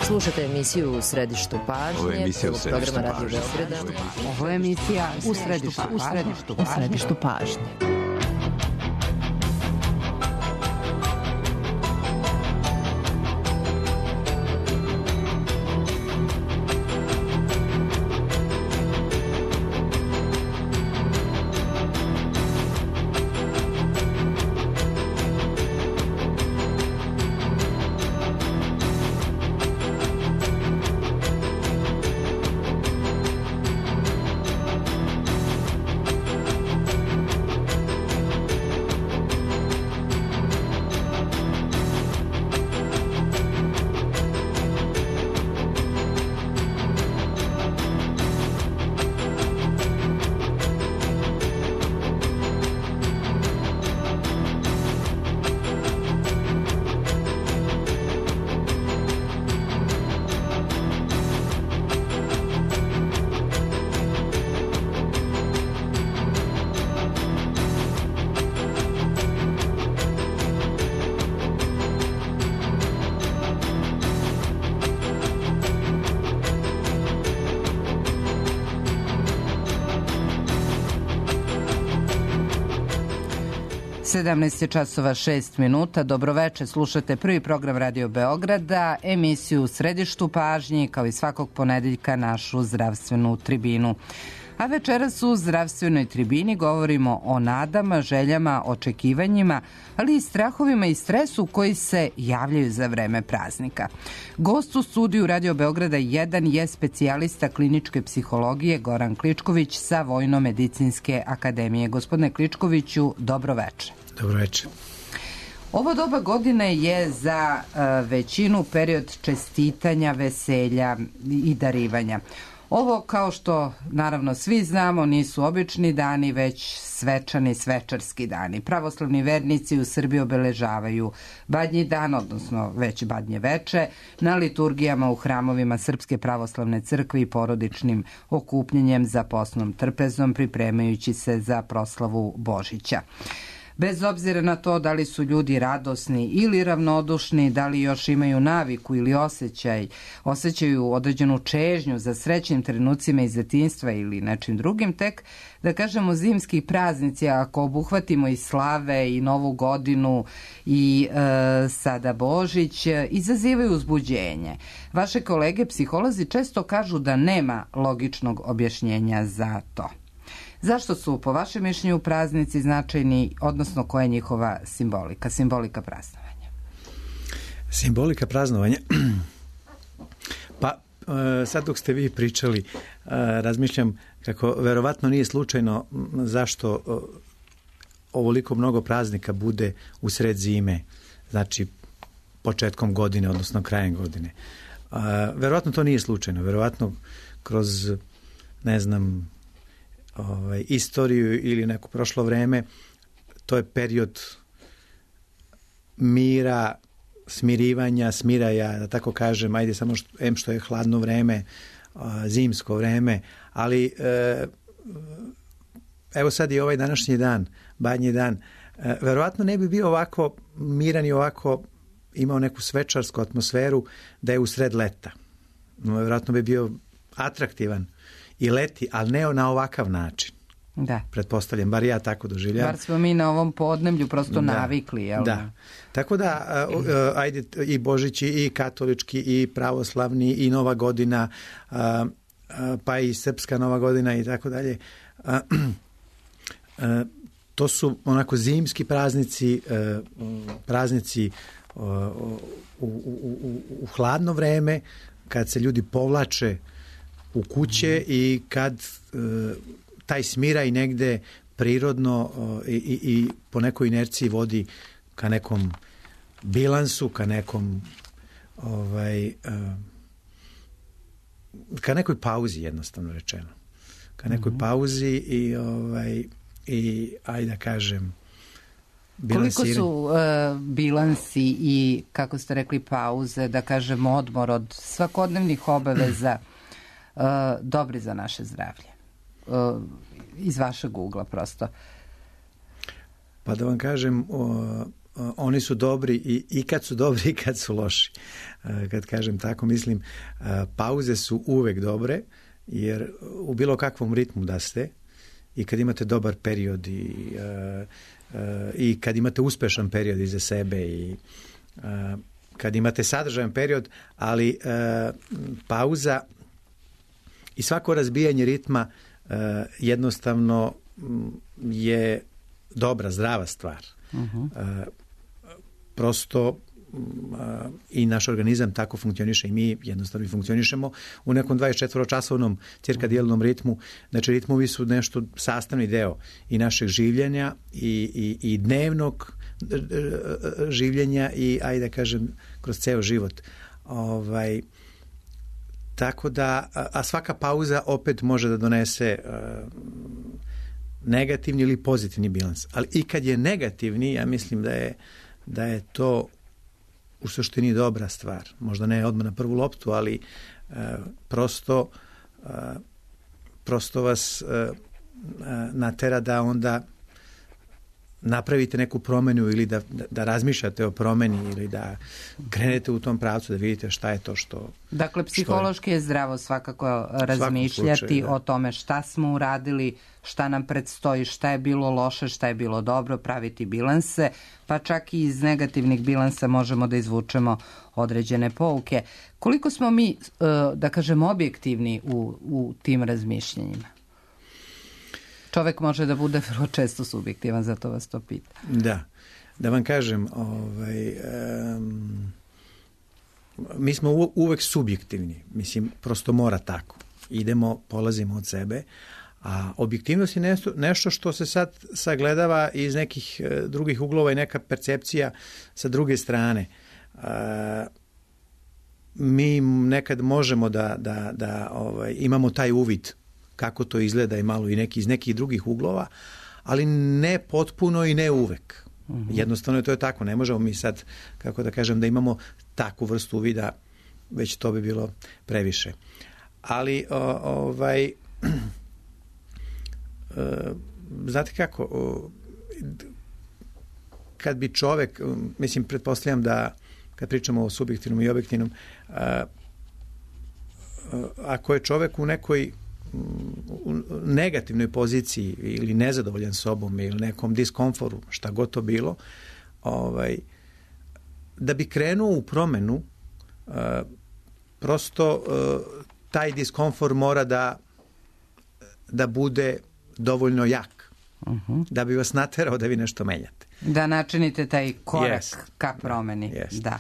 Slušate emisiju U središtu pažnje, programa Radio Beograda. Ovo je emisija U središtu pažnje. časova 6 minuta. Dobroveče, slušate prvi program Radio Beograda, emisiju U središtu pažnje, kao i svakog ponedeljka našu zdravstvenu tribinu. A večeras u zdravstvenoj tribini govorimo o nadama, željama, očekivanjima, ali i strahovima i stresu koji se javljaju za vreme praznika. Gost u studiju Radio Beograda 1 je specijalista kliničke psihologije Goran Kličković sa Vojno-medicinske akademije. Gospodine Kličkoviću, dobroveče. Dobroveče. Ovo doba godine je za većinu period čestitanja, veselja i darivanja. Ovo, kao što naravno svi znamo, nisu obični dani, već svečani, svečarski dani. Pravoslavni vernici u Srbiji obeležavaju Badnji dan, odnosno već Badnje veče, na liturgijama u hramovima Srpske pravoslavne crkve i porodičnim okupljenjem za posnom trpezom, pripremajući se za proslavu Božića. Bez obzira na to da li su ljudi radosni ili ravnodušni, da li još imaju naviku ili osjećaju određenu čežnju za srećnim trenucima iz detinjstva ili nečim drugim, tek da kažemo zimski praznici, ako obuhvatimo i slave i Novu godinu i sada Božić, izazivaju uzbuđenje. Vaše kolege psiholozi često kažu da nema logičnog objašnjenja za to. Zašto su, po vašem mišljenju, praznici značajni, odnosno koja je njihova simbolika praznovanja? Simbolika praznovanja? Pa, sad dok ste vi pričali, razmišljam kako verovatno nije slučajno zašto ovoliko mnogo praznika bude u sred zime, znači početkom godine, odnosno krajem godine. Verovatno to nije slučajno, verovatno kroz, ne znam, istoriju ili neko prošlo vreme, to je period mira, smirivanja, smiraja, da tako kažem, ajde samo što je hladno vreme, zimsko vreme, ali evo sad je ovaj današnji dan, Badnji dan, verovatno ne bi bio ovako miran i ovako imao neku svečarsku atmosferu da je usred leta. Verovatno bi bio atraktivan i leti, ali ne na ovakav način. Da. Pretpostavljam, bar ja tako doživljam. Bar smo mi na ovom podneblju prosto navikli. Jel? Da. Tako da, ajde, i Božići, i katolički, i pravoslavni, i Nova godina, pa i srpska Nova godina i tako dalje. To su onako zimski praznici, praznici u hladno vreme, kad se ljudi povlače u kuće i kad taj smiraj negde prirodno i po nekoj inerciji vodi ka nekom bilansu, ka nekom ka nekoj pauzi, jednostavno rečeno. Ka nekoj pauzi i ajde da kažem koliko su bilansi i, kako ste rekli, pauze, da kažem odmor od svakodnevnih obaveza dobri za naše zdravlje? Iz vašeg ugla prosto. Pa da vam kažem, oni su dobri i kad su dobri i kad su loši. Kad kažem tako, mislim, pauze su uvek dobre, jer u bilo kakvom ritmu da ste i kad imate dobar period i kad imate uspešan period iza sebe i kad imate sadržajan period, ali pauza i svako razbijanje ritma jednostavno je dobra, zdrava stvar. Prosto i naš organizam tako funkcioniše i mi jednostavno funkcionišemo u nekom 24-časovnom cirkadijalnom ritmu. Znači, ritmovi su nešto sastavni deo i našeg življenja i dnevnog življenja i, ajde da kažem, kroz ceo život. Tako da, a svaka pauza opet može da donese negativni ili pozitivni bilans. Ali i kad je negativni, ja mislim da je to u suštini dobra stvar. Možda ne odmah na prvu loptu, ali prosto vas natera da onda napravite neku promenu ili da razmišljate o promeni ili da krenete u tom pravcu, da vidite šta je to što... Dakle, psihološki je zdravo svakako razmišljati o tome šta smo uradili, šta nam predstoji, šta je bilo loše, šta je bilo dobro, praviti bilanse, pa čak i iz negativnih bilansa možemo da izvučemo određene pouke. Koliko smo mi, da kažem, objektivni u tim razmišljanjima? Čovek može da bude vrlo često subjektivan, zato vas to pita. Da vam kažem, mi smo uvek subjektivni. Mislim, prosto mora tako. Polazimo od sebe, a objektivnost je nešto što se sad sagledava iz nekih drugih uglova i neka percepcija sa druge strane. Mi nekad možemo da imamo taj uvid kako to izgleda i malo i iz nekih drugih uglova, ali ne potpuno i ne uvek. Jednostavno to je tako. Ne možemo mi sad, kako da kažem, da imamo takvu vrstu uvida, već to bi bilo previše. Ali, znate kako, kad bi čovek, mislim, pretpostavljam da kad pričamo o subjektivnom i objektivnom, ako je čovek u nekoj negativnoj poziciji ili nezadovoljan sobom ili nekom diskomforu, šta god to bilo, da bi krenuo u promenu, prosto taj diskomfor mora da bude dovoljno jak, da bi vas naterao da vi nešto menjate. Da načinite taj korak ka promeni. Da.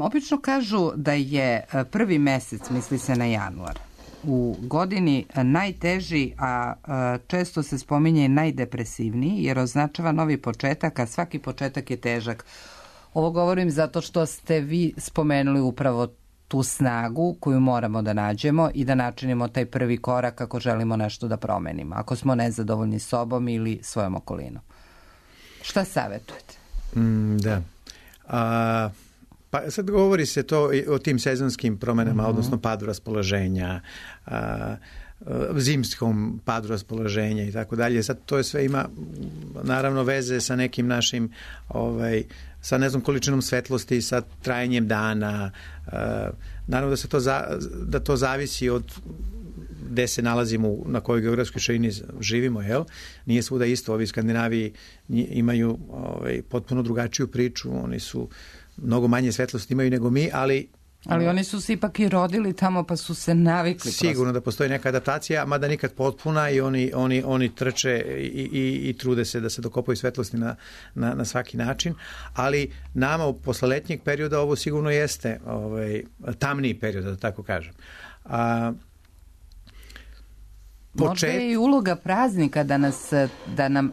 Obično kažu da je prvi mesec, misli se na januar, u godini najteži, a često se spominje i najdepresivniji, jer označava novi početak, a svaki početak je težak. Ovo govorim zato što ste vi spomenuli upravo tu snagu koju moramo da nađemo i da načinimo taj prvi korak ako želimo nešto da promenimo, ako smo nezadovoljni sobom ili svojom okolinom. Šta savjetujete? Da. Pa sad govori se to o tim sezonskim promenama, odnosno padu raspoloženja, zimskom padu raspoloženja i tako dalje. Sad to je sve ima naravno veze sa nekim našim sa ne znam količinom svetlosti, sa trajanjem dana. Naravno da to zavisi od gde se nalazimo, na kojoj geografskoj širini živimo, jel? Nije svuda isto. Ovi Skandinaviji imaju potpuno drugačiju priču, oni su mnogo manje svetlosti imaju nego mi, ali oni su se ipak i rodili tamo pa su se navikli. Sigurno da postoji neka adaptacija, mada nikad potpuna i oni trče i trude se da se dokopaju svetlosti na svaki način, ali nama posle letnjeg perioda ovo sigurno jeste tamniji period, da tako kažem. Možda je i uloga praznika da nam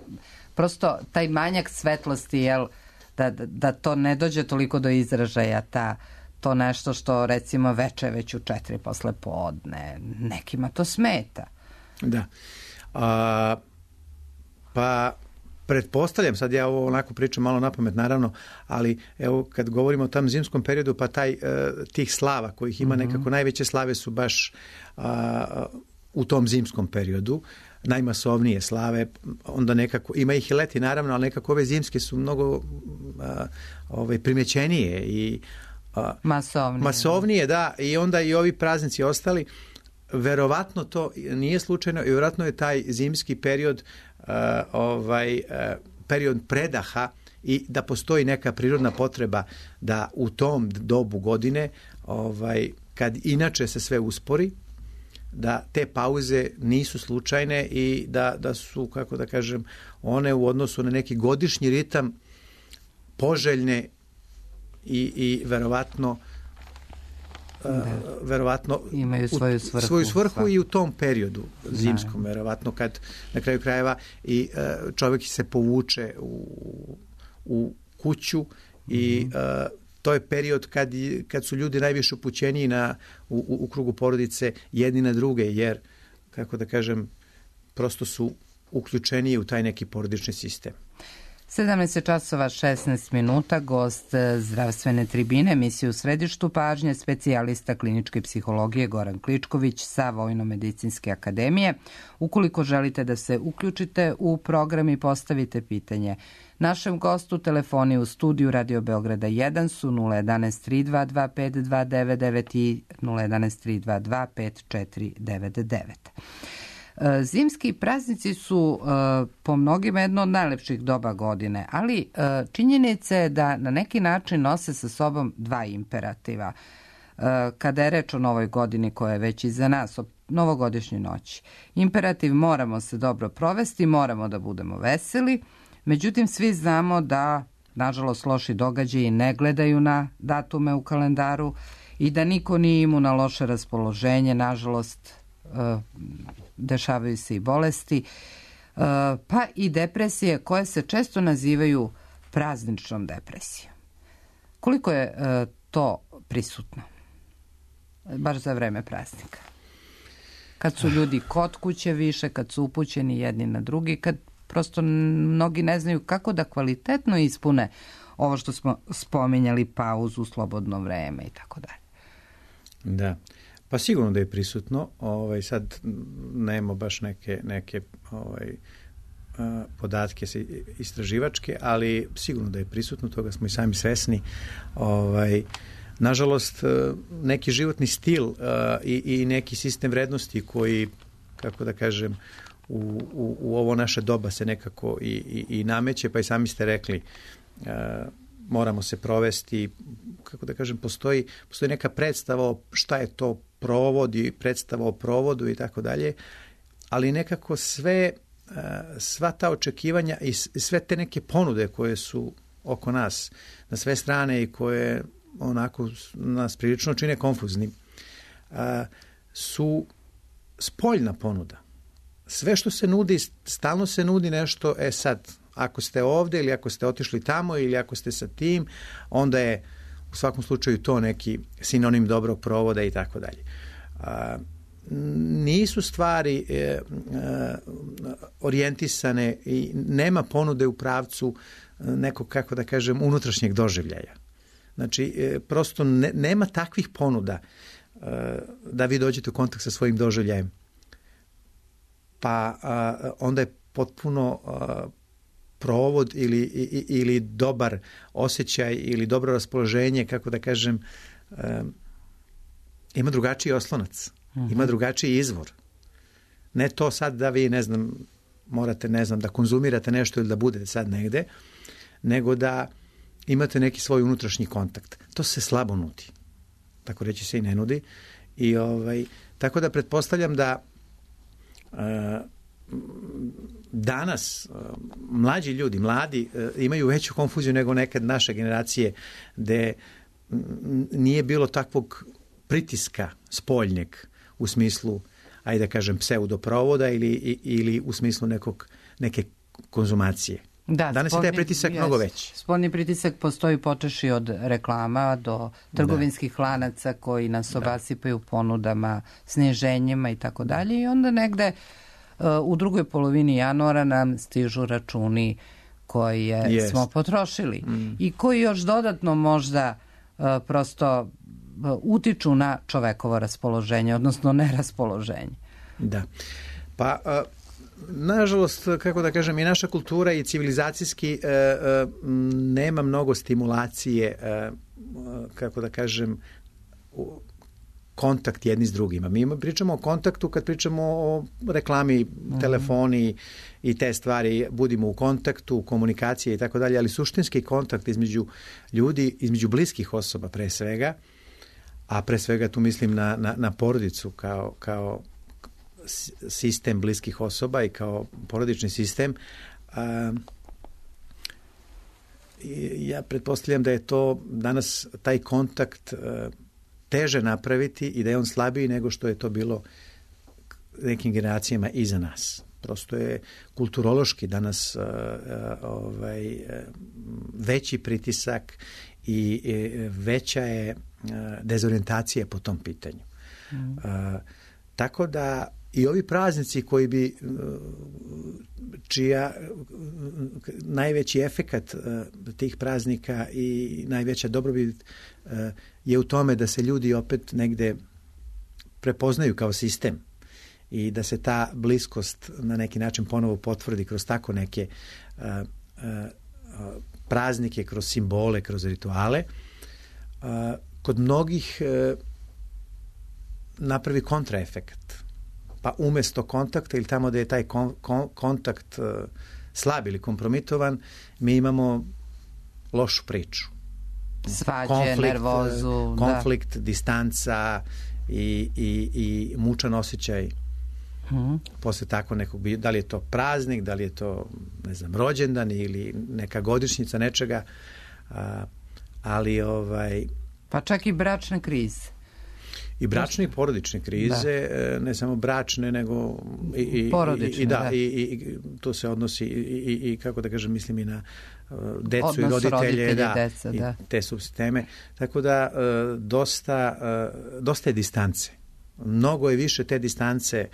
prosto taj manjak svetlosti, jel, da to ne dođe toliko do izražaja, to nešto što recimo veče već u 4 posle podne, nekima to smeta. Da. Pa pretpostavljam, sad ja ovo onako pričam malo napamet naravno, ali evo kad govorimo o tom zimskom periodu, pa tih slava kojih ima nekako najveće slave su baš u tom zimskom periodu. najmasovnije slave, onda nekako, ima ih i leti naravno, ali nekako ove zimske su mnogo primećenije i masovnije, da, i onda i ovi praznici ostali. Verovatno to nije slučajno i verovatno je taj zimski period period predaha i da postoji neka prirodna potreba da u tom dobu godine, kad inače se sve uspori, da te pauze nisu slučajne i da su, kako da kažem, one u odnosu na neki godišnji ritam poželjne i verovatno imaju svoju svrhu i u tom periodu zimskom, verovatno kad na kraju krajeva i čovjek se povuče u kuću i to je period kad su ljudi najviše upućeniji u krugu porodice jedni na druge, jer, kako da kažem, prosto su uključeniji u taj neki porodični sistem. 17:16, gost zdravstvene tribine, emisiju u središtu pažnje, specijalista kliničke psihologije Goran Kličković sa Vojno-medicinske akademije. Ukoliko želite da se uključite u program i postavite pitanje našem gostu, telefoni u studiju Radio Beograda 1 su 011 322 5299 i 011 322 5499. Zimski praznici su po mnogima jedno od najlepših doba godine, ali činjenica je da na neki način nose sa sobom dva imperativa. Kada je reč o novoj godini koja je već iza nas, o novogodišnjoj noći. Imperativ moramo se dobro provesti, moramo da budemo veseli, međutim svi znamo da, nažalost, loši događaji ne gledaju na datume u kalendaru i da niko nije imun na loše raspoloženje, nažalost, dešavaju se i bolesti, pa i depresije koje se često nazivaju prazničnom depresijom. Koliko je to prisutno? Baš za vreme praznika. Kad su ljudi kod kuće više, kad su upućeni jedni na drugi, kad prosto mnogi ne znaju kako da kvalitetno ispune ovo što smo spominjali, pauzu, slobodno vreme i tako dalje. Da. Pa sigurno da je prisutno, sad nemamo baš neke podatke istraživačke, ali sigurno da je prisutno, toga smo i sami svesni. Nažalost, neki životni stil i neki sistem vrednosti koji, kako da kažem, u ovo naše doba se nekako i nameće, pa i sami ste rekli, moramo se provesti, kako da kažem, postoji neka predstava o šta je to provod i predstava o provodu i tako dalje, ali nekako sva ta očekivanja i sve te neke ponude koje su oko nas na sve strane i koje onako nas prilično čine konfuzni, su spoljna ponuda. Sve što se nudi, stalno se nudi nešto, sad, ako ste ovdje ili ako ste otišli tamo ili ako ste sa tim, onda je u svakom slučaju to neki sinonim dobrog provoda i tako dalje. Nisu stvari orijentisane i nema ponude u pravcu nekog, kako da kažem, unutrašnjeg doživljaja. Znači, prosto nema takvih ponuda da vi dođete u kontakt sa svojim doživljajem. Pa onda je potpuno provod ili dobar osjećaj ili dobro raspoloženje, kako da kažem, ima drugačiji oslonac, ima drugačiji izvor. Ne to sad da vi, morate, da konzumirate nešto ili da budete sad negde, nego da imate neki svoj unutrašnji kontakt. To se slabo nudi. Tako reći se i ne nudi. I tako da pretpostavljam da danas mladi imaju veću konfuziju nego nekad naše generacije, gde nije bilo takvog pritiska spoljnjeg u smislu, ajde da kažem, pseudoprovoda ili u smislu neke konzumacije. Da, danas je taj pritisak mnogo veći. Spoljni pritisak postoji počeši od reklama do trgovinskih lanaca koji nas obasipaju ponudama, sniženjima i tako dalje, i onda negde u drugoj polovini januara nam stižu računi koje smo potrošili i koji još dodatno možda prosto utiču na čovekovo raspoloženje, odnosno neraspoloženje. Da. Pa nažalost, kako da kažem, i naša kultura i civilizacijski nema mnogo stimulacije, kako da kažem, kontakt jedni s drugima. Mi pričamo o kontaktu kad pričamo o reklami, telefoni i te stvari, budimo u kontaktu, komunikacije i tako dalje, ali suštinski kontakt između ljudi, između bliskih osoba pre svega, a pre svega tu mislim na porodicu kao sistem bliskih osoba i kao porodični sistem. Ja pretpostavljam da je to danas taj kontakt teže napraviti i da je on slabiji nego što je to bilo nekim generacijama iza nas. Prosto je kulturološki danas veći pritisak i veća je dezorijentacija po tom pitanju. Tako da i ovi praznici koji bi čija najveći efekat tih praznika i najveća dobrobit je u tome da se ljudi opet negde prepoznaju kao sistem i da se ta bliskost na neki način ponovo potvrdi kroz tako neke praznike, kroz simbole, kroz rituale. Kod mnogih napravi kontraefekat. Pa umesto kontakta ili tamo da je taj kontakt slab ili kompromitovan, mi imamo lošu priču. Svađe, nervozu. Konflikt, distanca i mučan osjećaj posle tako nekog, da li je to praznik, da li je to, ne znam, rođendan ili neka godišnjica nečega, ali pa čak i bračne krize. I bračne i porodične krize, ne samo bračne, nego i porodične, i to se odnosi i kako da kažem, mislim i na decu odnos i roditelje, deca, i te subsisteme. Tako da dosta je distance. Mnogo je više te distance.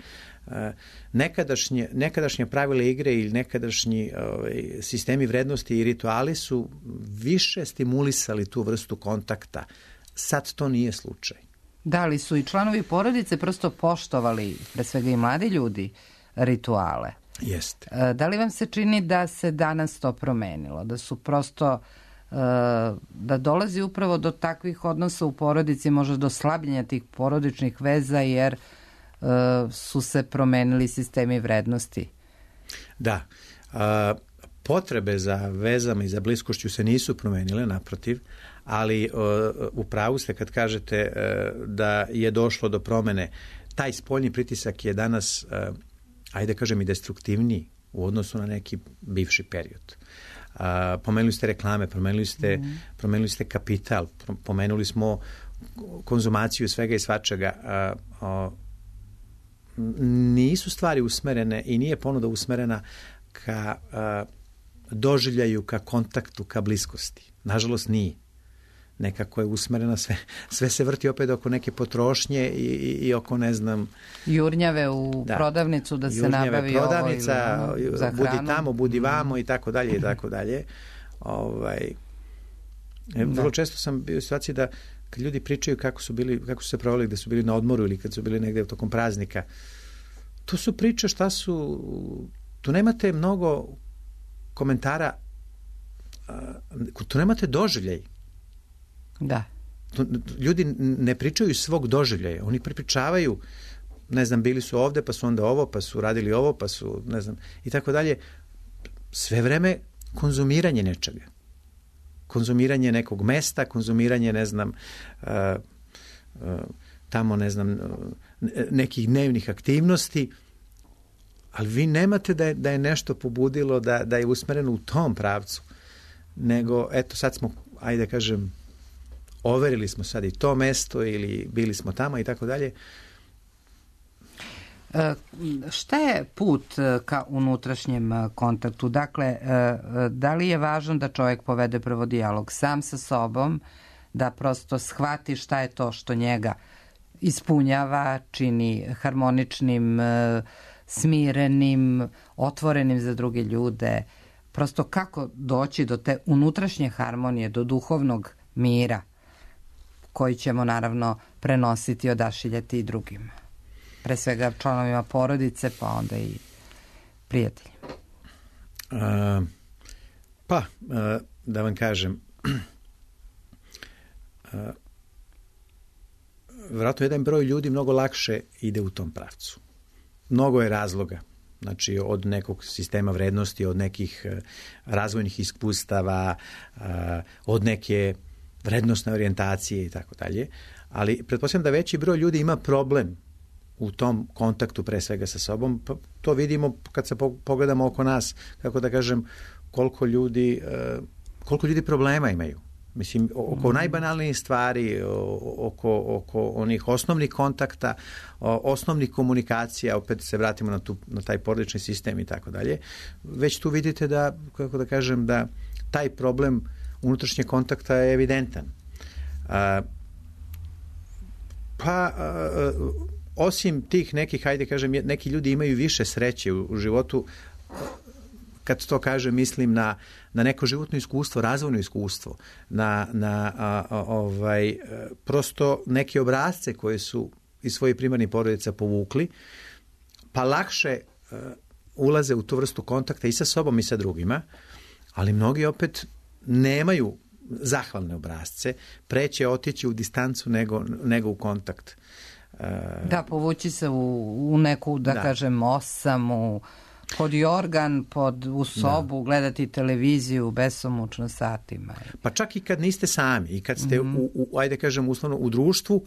Nekadašnje pravila igre ili nekadašnji sistemi vrednosti i rituali su više stimulisali tu vrstu kontakta. Sad to nije slučaj. Da li su i članovi porodice prosto poštovali, pre svega i mladi ljudi, rituale? Jeste. Da li vam se čini da se danas to promenilo? Da su prosto, da dolazi upravo do takvih odnosa u porodici, možda do slabljenja tih porodičnih veza, jer su se promenili sistemi vrednosti? Da. Potrebe za vezama i za bliskošću se nisu promenile, naprotiv, ali u pravu ste kad kažete da je došlo do promene. Taj spoljni pritisak je danas, ajde kažem, i destruktivniji u odnosu na neki bivši period. Pomenuli ste reklame, promenili ste kapital, pomenuli smo konzumaciju svega i svačega. Nisu stvari usmerene i nije ponuda usmerena ka doživljaju, ka kontaktu, ka bliskosti. Nažalost nije. Nekako je usmerena, sve se vrti opet oko neke potrošnje i oko, ne znam... Jurnjave u prodavnicu da se nabavi prodavnica, ovo ili za hranu. Budi tamo, budi vamo i tako dalje i tako dalje. Vrlo često sam bio u situaciji da kad ljudi pričaju kako su se proveli, da su bili na odmoru ili kad su bili negde tokom praznika, to su priče šta su... Tu nemate mnogo komentara, tu nemate doživljaj. Da. Ljudi ne pričaju svog doživljaja, oni prepričavaju, ne znam, bili su ovde, pa su onda ovo, pa su radili ovo, pa su, ne znam, i tako dalje. Sve vreme konzumiranje nečega. Konzumiranje nekog mesta, konzumiranje, ne znam, tamo, ne znam, nekih dnevnih aktivnosti, ali vi nemate da je nešto pobudilo, da je usmereno u tom pravcu, nego, eto, sad smo, ajde kažem, overili smo sad i to mesto ili bili smo tamo i tako dalje. Šta je put ka unutrašnjem kontaktu? Dakle, da li je važno da čovjek povede prvo dijalog sam sa sobom, da prosto shvati šta je to što njega ispunjava, čini harmoničnim, smirenim, otvorenim za druge ljude, prosto kako doći do te unutrašnje harmonije, do duhovnog mira koji ćemo naravno prenositi i odašiljati i drugima. Pre svega članovima porodice, pa onda i prijateljima? Da vam kažem, vjerojatno jedan broj ljudi mnogo lakše ide u tom pravcu. Mnogo je razloga. Znači, od nekog sistema vrednosti, od nekih razvojnih iskustava, od neke vrednostne orijentacije i tako dalje. Ali pretpostavljam da veći broj ljudi ima problem u tom kontaktu pre svega sa sobom. To vidimo kad se pogledamo oko nas, kako da kažem, koliko ljudi problema imaju. Mislim, oko najbanalnijih stvari, oko onih osnovnih kontakta, osnovnih komunikacija, opet se vratimo na taj porodični sistem i tako dalje. Već tu vidite da, kako da kažem, da taj problem unutrašnjeg kontakta je evidentan. Osim tih nekih, hajde kažem, neki ljudi imaju više sreće u životu. Kad to kažem, mislim na neko životno iskustvo, razvojno iskustvo, prosto neke obrasce koje su iz svojih primarnih porodica povukli, pa lakše ulaze u tu vrstu kontakta i sa sobom i sa drugima, ali mnogi opet nemaju zahvalne obrasce, preće otići u distancu nego u kontakt. Da, povući se u neku, da kažem, osamu, pod jorgan, u sobu, gledati televiziju besomučno satima. Pa čak i kad niste sami, i kad ste, ajde kažem, uslovno u društvu,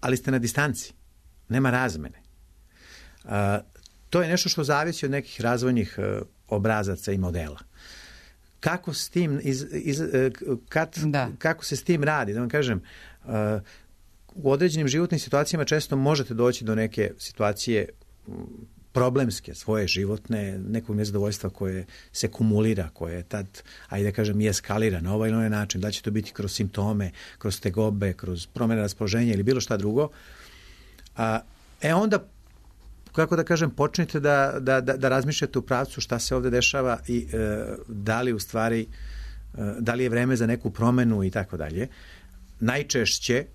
ali ste na distanci. Nema razmene. To je nešto što zavisi od nekih razvojnih obrazaca i modela. Kako s tim kako se s tim radi? Da vam kažem, u određenim životnim situacijama često možete doći do neke situacije problemske, svoje životne, nekog nezadovoljstva koje se kumulira, koje tad, ajde kažem, i eskalira na ovaj ili onaj način. Da će to biti kroz simptome, kroz tegobe, kroz promjene raspoloženja ili bilo šta drugo. Onda, kako da kažem, počnite da razmišljate u pravcu šta se ovdje dešava i da li u stvari, da li je vreme za neku promjenu i tako dalje. Najčešće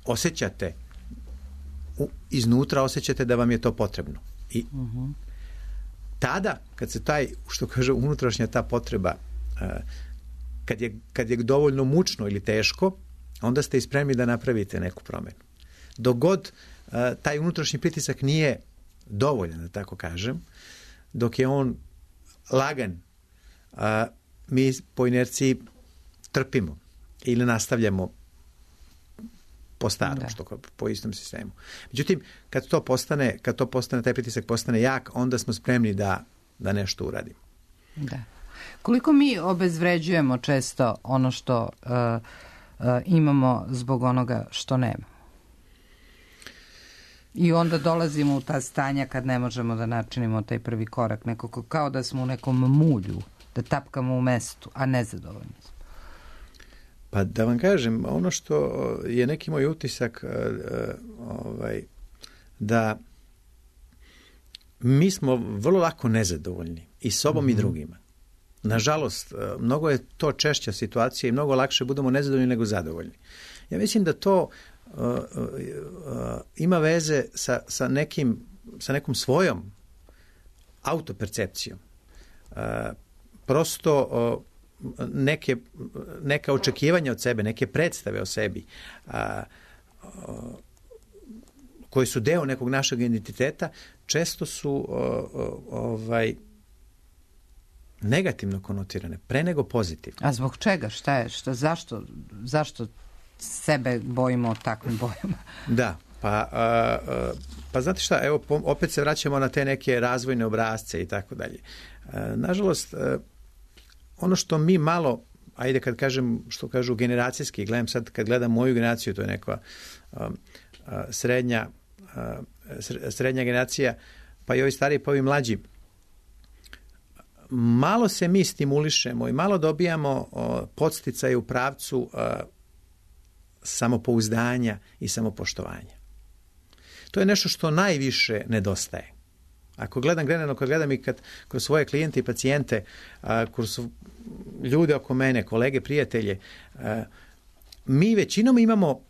osjećate, iznutra osjećate da vam je to potrebno. I tada, kad se taj, što kaže, unutrašnja ta potreba, kad je dovoljno mučno ili teško, onda ste i spremni da napravite neku promjenu. Dok god taj unutrašnji pritisak nije dovoljan, da tako kažem, dok je on lagan, mi po inerciji trpimo ili nastavljamo po starom, po istom sistemu. Međutim, kad to postane, taj pritisak postane jak, onda smo spremni da nešto uradimo. Da. Koliko mi obezvređujemo često ono što imamo zbog onoga što nema? I onda dolazimo u ta stanja kad ne možemo da načinimo taj prvi korak, nekako kao da smo u nekom mulju, da tapkamo u mestu, a nezadovoljni smo. Pa da vam kažem, ono što je neki moj utisak, da mi smo vrlo lako nezadovoljni i sobom i drugima. Nažalost, mnogo je to češća situacija i mnogo lakše budemo nezadovoljni nego zadovoljni. Ja mislim da to ima veze sa nekom svojom autopercepcijom. Prosto neka očekivanja od sebe, neke predstave o sebi koji su deo nekog našeg identiteta, često su negativno konotirane, pre nego pozitivno. A zbog čega? Zašto sebe bojimo takvim bojama? Da, pa znate šta, evo, opet se vraćamo na te neke razvojne obrasce i tako dalje. Nažalost, ono što mi malo, ajde kad kažem, što kažu generacijski, gledam sad, kad gledam moju generaciju, to je neka srednja generacija, pa i ovi stariji, pa ovi mlađi, malo se mi stimulišemo i malo dobijamo podsticaje u pravcu samopouzdanja i samopoštovanja. To je nešto što najviše nedostaje. Ako gledam i kroz svoje klijente i pacijente, kroz ljude oko mene, kolege, prijatelje, mi većinom imamo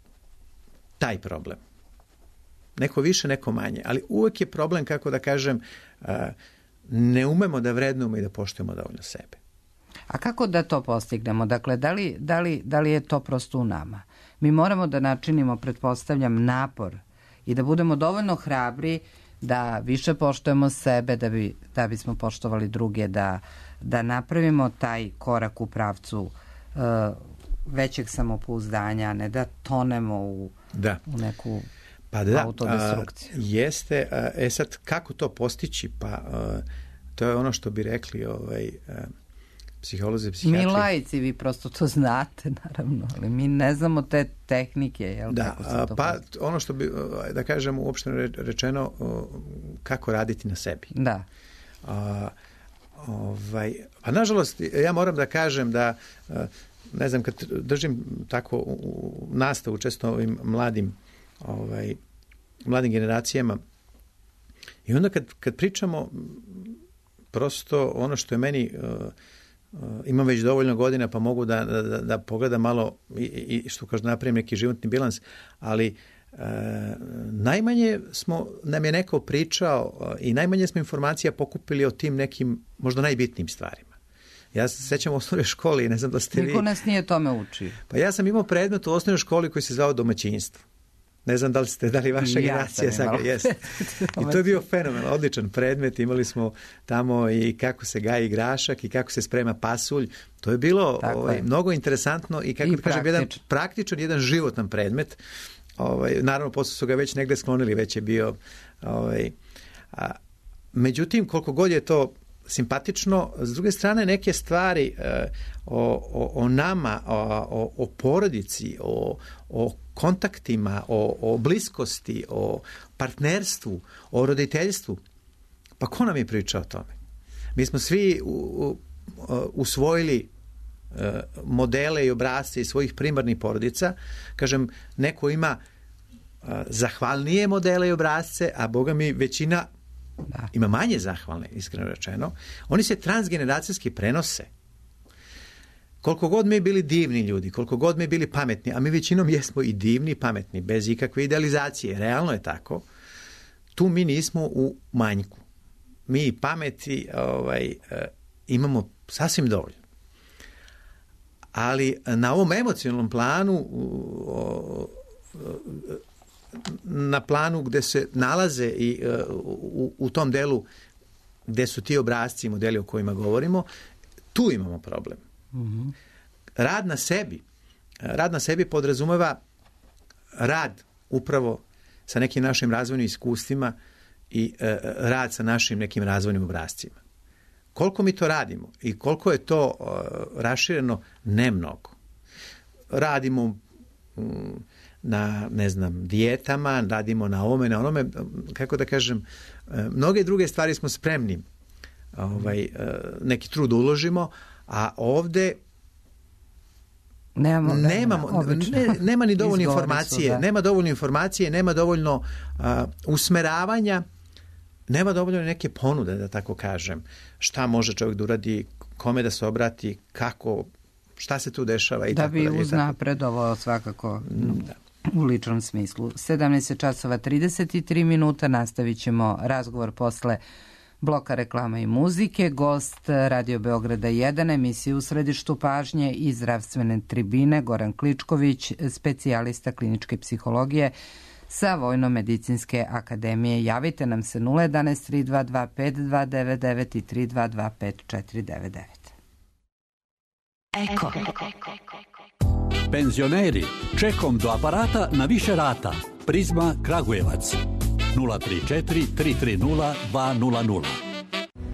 taj problem. Neko više, neko manje. Ali uvek je problem, kako da kažem, ne umemo da vrednujemo i da poštujemo dovoljno sebe. A kako da to postignemo? Dakle, da li je to prosto u nama? Mi moramo da načinimo, pretpostavljam, napor i da budemo dovoljno hrabri da više poštujemo sebe, da bismo poštovali druge, da napravimo taj korak u pravcu većeg samopouzdanja, ne da tonemo u neku autodestrukciju. Jeste. Sad, kako to postići? Pa to je ono što bi rekli psiholozi, psihijatri. Mi laici, vi prosto to znate, naravno, ali mi ne znamo te tehnike. Jel? Ono što bi, da kažem, uopšteno rečeno, kako raditi na sebi. Da. Pa nažalost, ja moram da kažem da, ne znam, kad držim tako nastavu često ovim mladim generacijama i onda kad pričamo prosto ono što je meni, imam već dovoljno godina pa mogu da pogledam malo i što kažu napravim neki životni bilans, ali najmanje nam je neko pričao i najmanje smo informacija pokupili o tim nekim možda najbitnijim stvarima. Ja se sećam u osnovnoj školi i ne znam da ste vi... Niko nas nije tome učio. Pa ja sam imao predmet u osnovnoj školi koji se zvao domaćinstvo. Ne znam da li vaša generacija sada jeste. I to je bio fenomen, odličan predmet. Imali smo tamo i kako se gaji grašak i kako se sprema pasulj. To je bilo mnogo interesantno i kako kažem, jedan praktičan, jedan životan predmet. Naravno, posle su ga već negde sklonili, već je bio... Međutim, koliko god je to simpatično, s druge strane neke stvari o nama, o porodici, o kontaktima, o bliskosti, o partnerstvu, o roditeljstvu, pa ko nam je pričao o tome? Mi smo svi usvojili modele i obrasce iz svojih primarnih porodica. Kažem, neko ima zahvalnije modele i obrasce, a Boga mi većina ima manje zahvalne, iskreno rečeno. Oni se transgeneracijski prenose. Koliko god mi bili divni ljudi, koliko god mi bili pametni, a mi većinom jesmo i divni i pametni, bez ikakve idealizacije, realno je tako, tu mi nismo u manjku. Mi pameti imamo sasvim dovoljno. Ali na ovom emocionalnom planu, na planu gde se nalaze i u tom delu gde su ti obrasci i modeli o kojima govorimo, tu imamo problem. Mm-hmm. Rad na sebi podrazumeva rad upravo sa nekim našim razvojnim iskustvima i rad sa našim nekim razvojnim obrascima. Koliko mi to radimo i koliko je to rašireno, ne mnogo. Radimo na, ne znam, dijetama, radimo na ovome, na onome, kako da kažem, mnoge druge stvari smo spremni neki trud uložimo, a ovde nema ni dovoljno informacije, nema dovoljno informacije, nema dovoljno usmeravanja, nema dovoljno neke ponude, da tako kažem, šta može čovjek da uradi, kome da se obrati, kako, šta se tu dešava i da tako dalje. Da bi uznapredovao svakako u ličnom smislu. 17:33, nastavit ćemo razgovor posle bloka reklama i muzike. Gost Radio Beograda 1, emisije U središtu pažnje i zdravstvene tribine, Goran Kličković, specijalista kliničke psihologije sa Vojno-medicinske akademije. Javite nam se 011 322 5299 i 322 5499. Eko. Penzioneri, čekom do aparata na više rata. Prizma Kragujevac 034 330 200.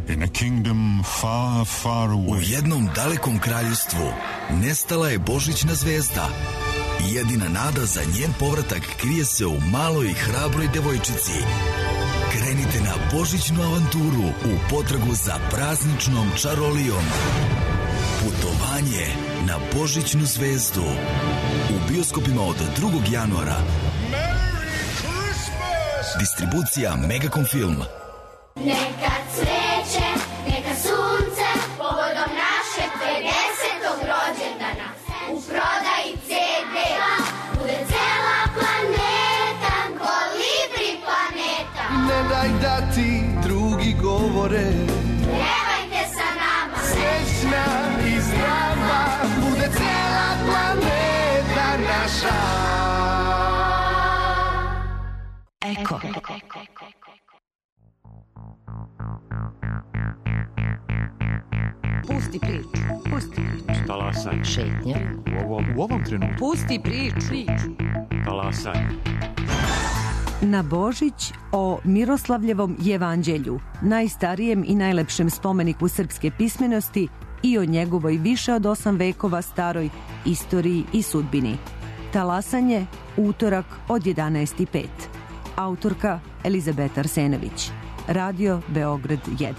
In a kingdom far, far away. U jednom dalekom kraljevstvu nestala je božićna zvezda. Jedina nada za njen povratak krije se u maloj i hrabroj devojčici. Krenite na božićnu avanturu u potragu za prazničnom čarolijom. Putovanje na božićnu zvezdu. U bioskopima od 2. januara. Distribucija Megacom Film. Neka cveće, neka sunce, povodom našeg 50. rođendana. U prodaji CD bude cela planeta, Kolibri planeta. Ne daj da ti drugi govore naša. Eko. Pusti priču. Pusti priču. Talasaj. Šetnja. U ovom trenutku. Pusti priču. Talasaj. Na Božić o Miroslavljevom jevanđelju, najstarijem i najlepšem spomeniku srpske pismenosti i o njegovoj više od 8 vekova staroj istoriji i sudbini. Talasanje, utorak od 11:05. Autorka Elizabeta Arsenović. Radio Beograd 1.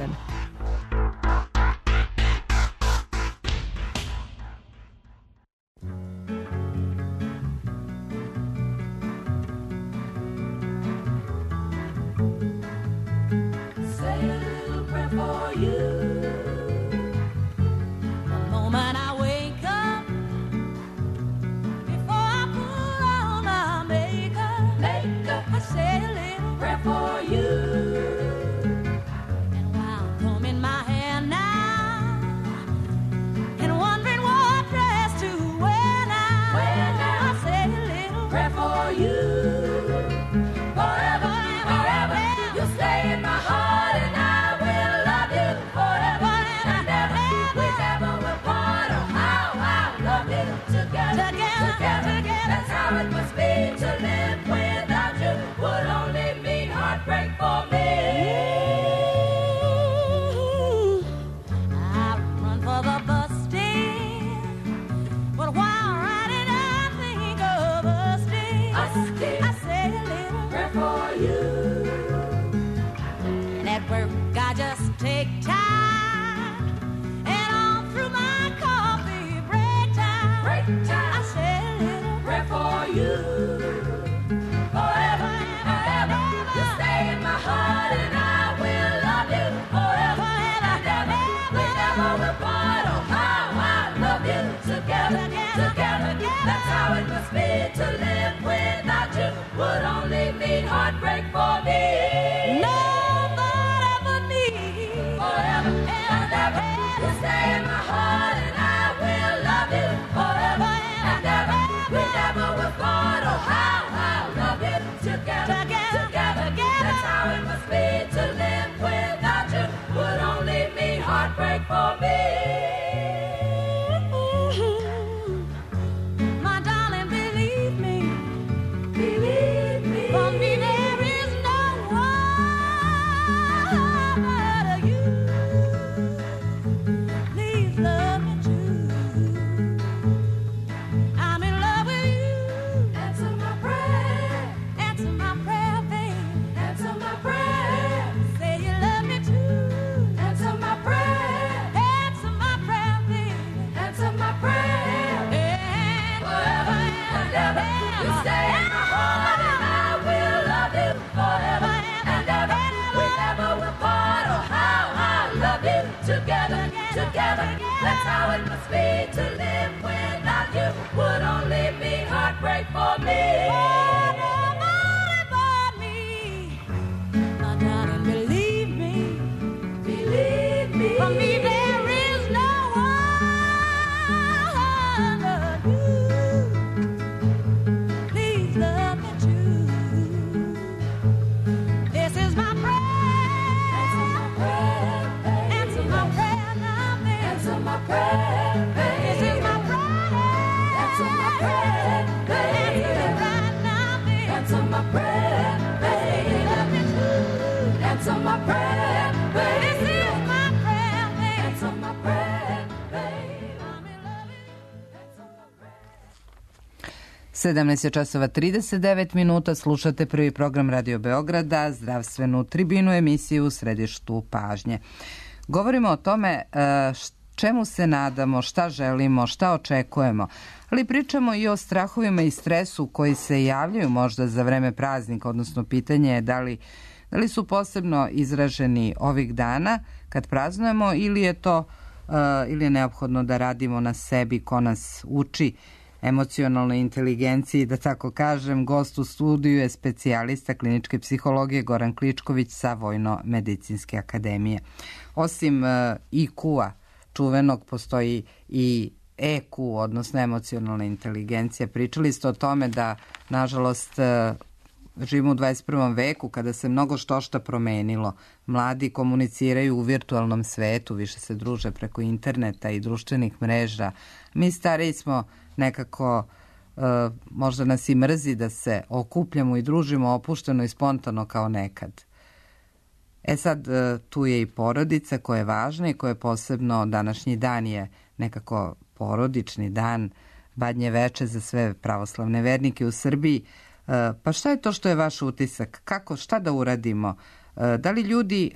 Sedamnaest je časova 39 minuta, slušate prvi program Radio Beograda, zdravstvenu tribinu, emisiju u središtu pažnje. Govorimo o tome čemu se nadamo, šta želimo, šta očekujemo, ali pričamo i o strahovima i stresu koji se javljaju možda za vreme praznika, odnosno pitanje je da li su posebno izraženi ovih dana kad praznujemo ili je neophodno da radimo na sebi ko nas uči emocionalnoj inteligenciji, da tako kažem. Gost u studiju je specijalista kliničke psihologije Goran Kličković sa Vojno-medicinske akademije. Osim IQ-a čuvenog, postoji i EQ, odnosno emocionalna inteligencija. Pričali ste o tome da, nažalost, živimo u 21. veku kada se mnogo šta promenilo. Mladi komuniciraju u virtualnom svetu, više se druže preko interneta i društvenih mreža. Mi stariji smo nekako, možda nas i mrzi da se okupljamo i družimo opušteno i spontano kao nekad. Sad, tu je i porodica koja je važna i koja je posebno, današnji dan je nekako porodični dan, Badnje veče za sve pravoslavne vernike u Srbiji. Pa šta je to što je vaš utisak? Šta da uradimo? Da li ljudi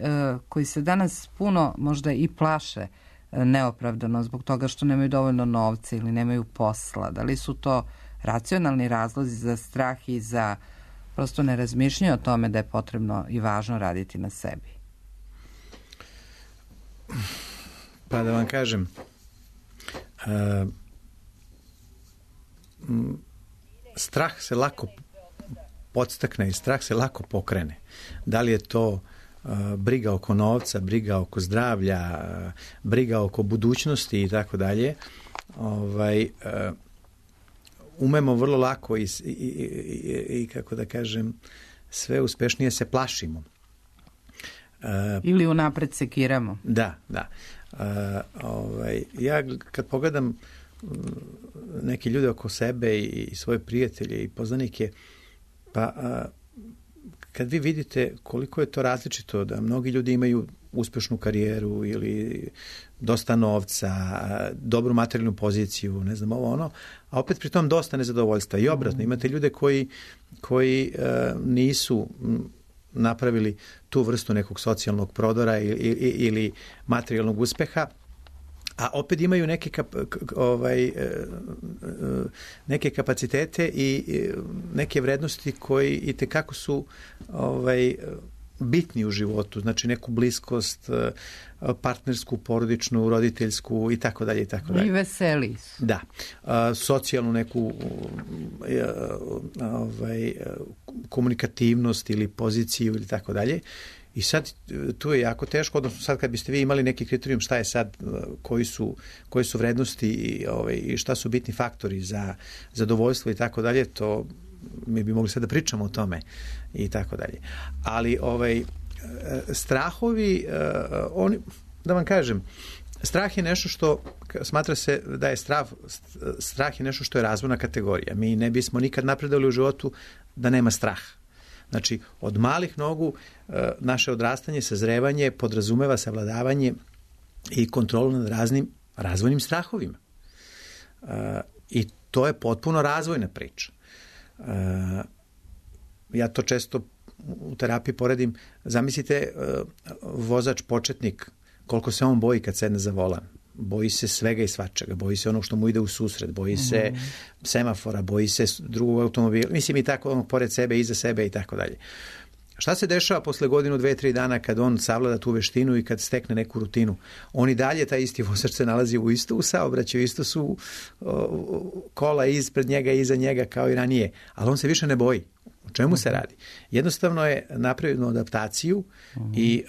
koji se danas puno možda i plaše neopravdano zbog toga što nemaju dovoljno novca ili nemaju posla, da li su to racionalni razlozi za strah i za prosto ne razmišljaju o tome da je potrebno i važno raditi na sebi? Pa da vam kažem, strah se lako podstakne i strah se lako pokrene. Da li je to briga oko novca, briga oko zdravlja, briga oko budućnosti i tako dalje, umemo vrlo lako i kako da kažem, sve uspešnije se plašimo. Ili unapred sekiramo. Da. Ja kad pogledam neke ljude oko sebe i svoje prijatelje i poznanike, pa kad vi vidite koliko je to različito, da mnogi ljudi imaju uspešnu karijeru ili dosta novca, dobru materijalnu poziciju, ne znam ovo ono, a opet pri tom dosta nezadovoljstva. I obratno, imate ljude koji nisu napravili tu vrstu nekog socijalnog prodora ili materijalnog uspeha, a opet imaju neke kapacitete i neke vrednosti koji itekako su bitni u životu, znači neku bliskost, partnersku, porodičnu, roditeljsku i tako dalje i tako dalje. I veseli su. Da. Socijalnu neku komunikativnost ili poziciju ili tako dalje. I sad tu je jako teško, odnosno sad kad biste vi imali neki kriterijum šta je sad, koji su vrednosti i šta su bitni faktori za zadovoljstvo i tako dalje, to mi bi mogli sad da pričamo o tome i tako dalje. Ali strahovi, da vam kažem, strah je nešto što, smatra se da je strah je nešto što je razvojna kategorija. Mi ne bismo nikad napredovali u životu da nema straha. Znači, od malih nogu naše odrastanje, sazrevanje podrazumeva savladavanje i kontrolu nad raznim razvojnim strahovima. I to je potpuno razvojna priča. Ja to često u terapiji poredim. Zamislite vozač početnik, koliko se on boji kad sedne za volan. Boji se svega i svačega, boji se onog što mu ide u susret, boji se semafora, boji se drugog automobila, mislim i tako onog pored sebe, iza sebe i tako dalje. Šta se dešava posle godinu, 2-3 dana kad on savlada tu veštinu i kad stekne neku rutinu? On i dalje, taj isti vozač se nalazi u saobraćaju, isto su kola ispred njega i iza njega kao i ranije, ali on se više ne boji. O čemu se radi? Jednostavno je napravio adaptaciju i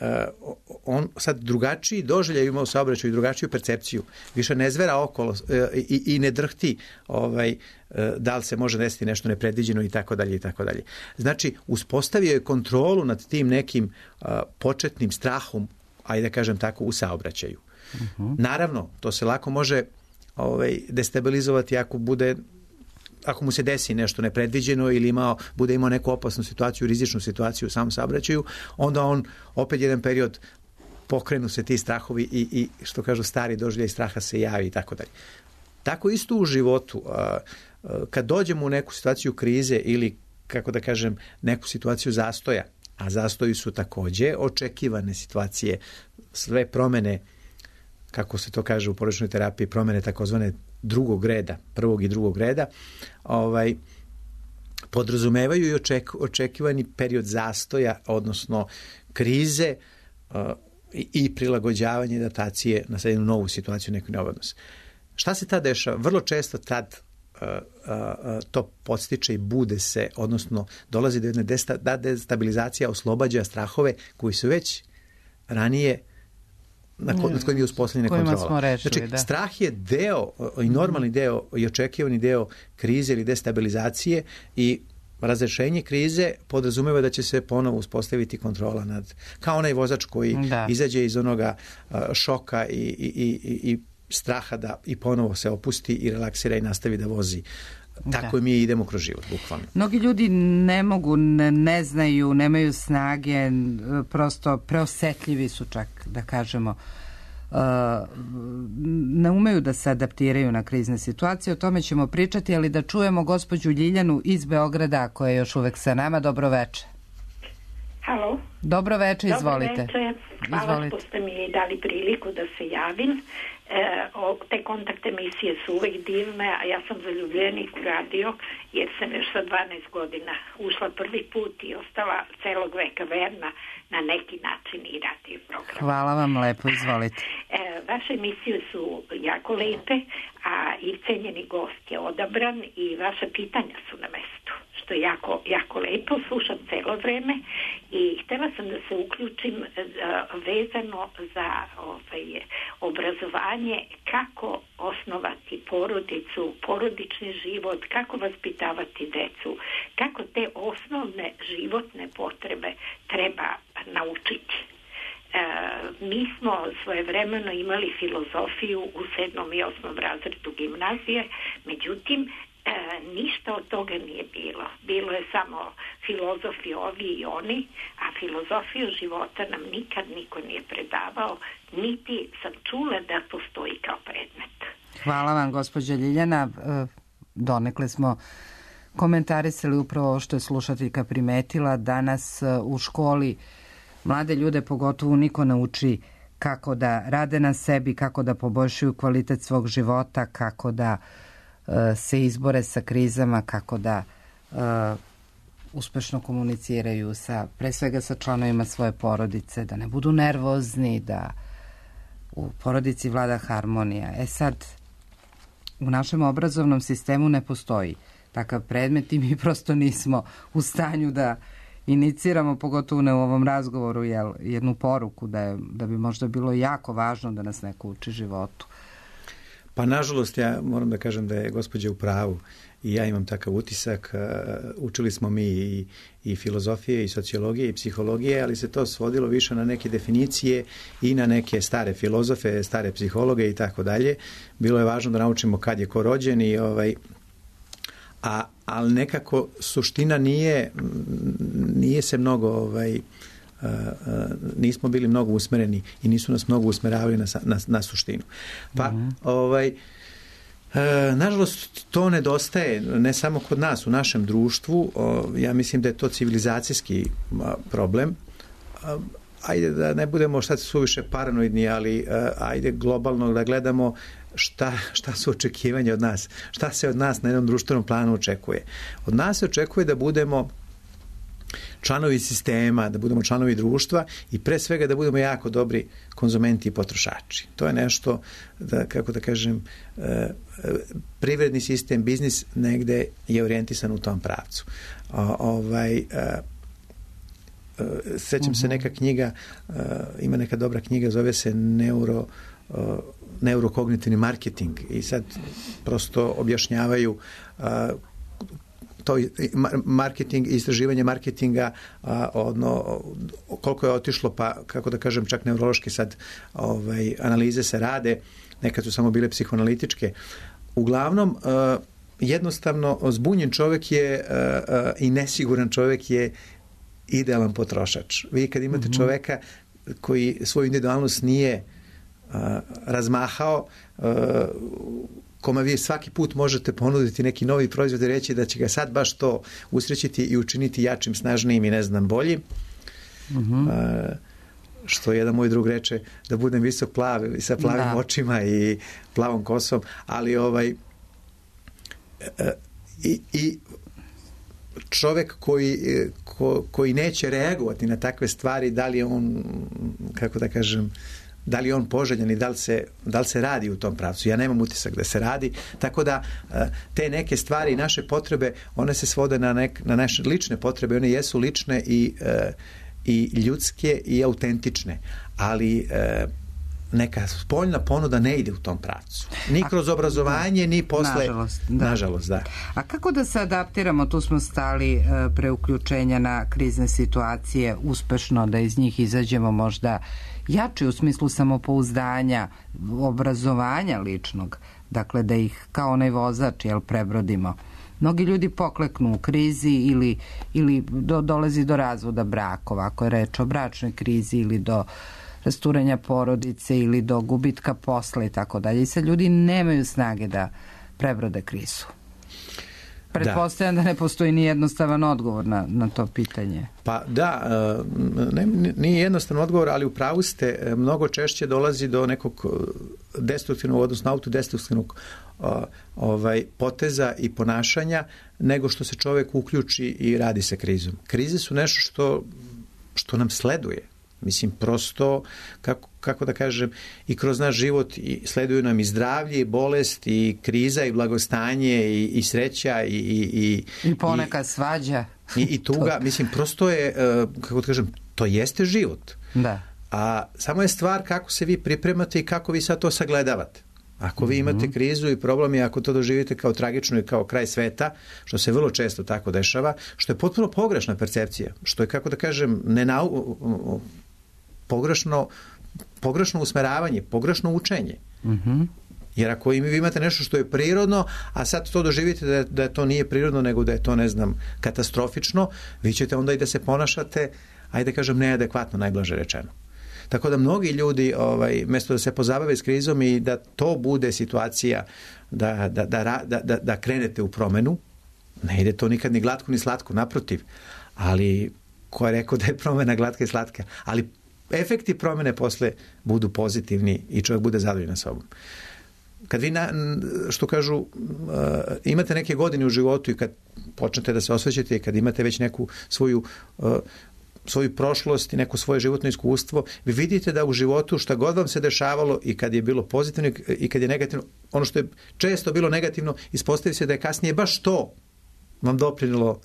on sad drugačiji doživljaj ima u saobraćaju i drugačiju percepciju. Više ne zvera okolo i ne drhti da li se može desiti nešto nepredviđeno i tako dalje i tako dalje. Znači, uspostavio je kontrolu nad tim nekim početnim strahom, ajde da kažem tako, u saobraćaju. Naravno, to se lako može destabilizovati ako mu se desi nešto nepredviđeno ili bude imao neku opasnu situaciju, rizičnu situaciju u samom saobraćaju, onda on opet jedan period pokrenu se ti strahovi i što kažu stari doživljaj straha se javi i tako dalje. Tako isto u životu. Kad dođemo u neku situaciju krize ili, kako da kažem, neku situaciju zastoja, a zastoji su takođe očekivane situacije, sve promene, kako se to kaže u porodičnoj terapiji, promene takozvane drugog reda, prvog i drugog reda, podrazumevaju i očekivani period zastoja, odnosno krize i prilagođavanje adaptacije na jednu novu situaciju, neku neovodnost. Šta se tad dešava? Vrlo često tad to podstiče i bude se, odnosno dolazi do jedne destabilizacija, oslobađa strahove koji su već ranije nad kojim je uspostavljena kontrola. Rečili, znači, strah je deo i normalni deo i očekivani deo krize ili destabilizacije i razrešenje krize podrazumeva da će se ponovo uspostaviti kontrola kao onaj vozač koji izađe iz onoga šoka i straha da i ponovo se opusti i relaksira i nastavi da vozi. Tako mi idemo kroz život, bukvalno. Mnogi ljudi ne mogu, ne znaju, nemaju snage, prosto preosetljivi su čak, da kažemo, ne umeju da se adaptiraju na krizne situacije. O tome ćemo pričati, ali da čujemo gospođu Ljiljanu iz Beograda, koja je još uvek sa nama. Dobro veče. Halo. Dobro veče, izvolite. Dobro veče. Hvala što ste mi dali priliku da se javim. Te kontakt emisije su uvek divne, a ja sam zaljubljenik u radio, jer sam još sa 12 godina ušla prvi put i ostala celog veka verna na neki način i radio program. Hvala vam lepo, izvolite. Vaše emisije su jako lepe, a i cenjeni gost je odabran i vaše pitanja su na mestu, što je jako, jako lepo, slušam celo vreme i htela sam da se uključim vezano za obrazovanje, kako osnovati porodicu, porodični život, kako vaspitavati decu, kako te osnovne životne potrebe treba naučiti. Mi smo svojevremeno imali filozofiju u 7. i 8. razredu gimnazije, međutim, ništa od toga nije bilo. Bilo je samo filozofi ovi i oni, a filozofiju života nam nikad niko nije predavao, niti sam čula da postoji kao predmet. Hvala vam, gospođa Ljiljana. Donekle smo komentarisali upravo ovo što je slušateljka primetila. Danas u školi mlade ljude pogotovo niko ne uči kako da rade na sebi, kako da poboljšaju kvalitet svog života, kako da se izbore sa krizama, kako da uspešno komuniciraju pre svega sa članovima svoje porodice, da ne budu nervozni, da u porodici vlada harmonija. Sad, u našem obrazovnom sistemu ne postoji takav predmet i mi prosto nismo u stanju da iniciramo, pogotovo ne u ovom razgovoru, jednu poruku da bi možda bilo jako važno da nas neko uči životu. Pa nažalost, ja moram da kažem da je gospođa u pravu i ja imam takav utisak. Učili smo mi i filozofije, i sociologije, i psihologije, ali se to svodilo više na neke definicije i na neke stare filozofe, stare psihologe i tako dalje. Bilo je važno da naučimo kad je ko rođen ali nekako suština nije se mnogo nismo bili mnogo usmereni i nisu nas mnogo usmeravali na suštinu. Pa, nažalost, to nedostaje ne samo kod nas, u našem društvu. Ja mislim da je to civilizacijski problem. Ajde da ne budemo šta suviše paranoidni, ali ajde globalno da gledamo šta su očekivanja od nas, šta se od nas na jednom društvenom planu očekuje. Od nas se očekuje da budemo članovi sistema, da budemo članovi društva i pre svega da budemo jako dobri konzumenti i potrošači. To je nešto, kako da kažem, privredni sistem, biznis negde je orijentisan u tom pravcu. Sećam se neka knjiga, ima neka dobra knjiga, zove se neurokognitivni marketing i sad prosto objašnjavaju to marketing i istraživanje marketinga, koliko je otišlo, pa kako da kažem, čak neurološke sad analize se rade, nekad su samo bile psihoanalitičke. Uglavnom, jednostavno zbunjen čovjek je i nesiguran čovjek je idealan potrošač. Vi kad imate čoveka koji svoju individualnost nije razmahao, kome vi svaki put možete ponuditi neki novi proizvod i reći da će ga sad baš to usrećiti i učiniti jačim, snažnijim i ne znam boljim. Što jedan moj drug reče, da budem visok plav i sa plavim očima i plavom kosom, ali i čovek koji neće reagovati na takve stvari, da li je on, kako da kažem, da li je on poželjan i da li se radi u tom pravcu. Ja nemam utisak da se radi, tako da te neke stvari, naše potrebe, one se svode na naše lične potrebe, one jesu lične i ljudske i autentične, ali neka spoljna ponuda ne ide u tom pravcu. Ni kroz obrazovanje, ni posle... Nažalost, da. A kako da se adaptiramo? Tu smo stali pre uključenja na krizne situacije uspešno, da iz njih izađemo možda jači u smislu samopouzdanja, obrazovanja ličnog, dakle da ih kao onaj vozač prebrodimo. Mnogi ljudi pokleknu u krizi ili dolazi do razvoda brakova, ako je reč o bračnoj krizi, ili do rasturanja porodice ili do gubitka posla i tako dalje. I sad ljudi nemaju snage da prebrode krizu. Pretpostavljam da ne postoji ni jednostavan odgovor na to pitanje. Pa da, nije jednostavan odgovor, ali u pravu ste, mnogo češće dolazi do nekog destruktivnog, odnosno autodestruktivnog poteza i ponašanja, nego što se čovjek uključi i radi sa krizom. Krize su nešto što nam sleduje. Mislim, prosto, kako da kažem, i kroz naš život sleduju nam i zdravlje, i bolest, i kriza, i blagostanje, i sreća, i ponekad svađa. I tuga. Mislim, prosto je, kako da kažem, to jeste život. Da. A samo je stvar kako se vi pripremate i kako vi sad to sagledavate. Ako vi imate krizu i problem i ako to doživite kao tragično i kao kraj sveta, što se vrlo često tako dešava, što je potpuno pogrešna percepcija, što je, kako da kažem, pogrešno usmeravanje, pogrešno učenje. Jer ako vi imate nešto što je prirodno, a sad to doživite da to nije prirodno, nego da je to, ne znam, katastrofično, vi ćete onda i da se ponašate, ajde kažem, neadekvatno, najblaže rečeno. Tako da mnogi ljudi, mjesto da se pozabave s krizom i da to bude situacija da krenete u promenu, ne ide to nikad ni glatko ni slatko, naprotiv. Ali ko je rekao da je promena glatka i slatka? Ali efekti promene posle budu pozitivni i čovjek bude zadovoljan sobom. Kad vi, što kažu, imate neke godine u životu i kad počnete da se osvećate i kad imate već neku svoju prošlost i neko svoje životno iskustvo, vi vidite da u životu šta god vam se dešavalo i kad je bilo pozitivno i kad je negativno, ono što je često bilo negativno, ispostavi se da je kasnije baš to vam doprinilo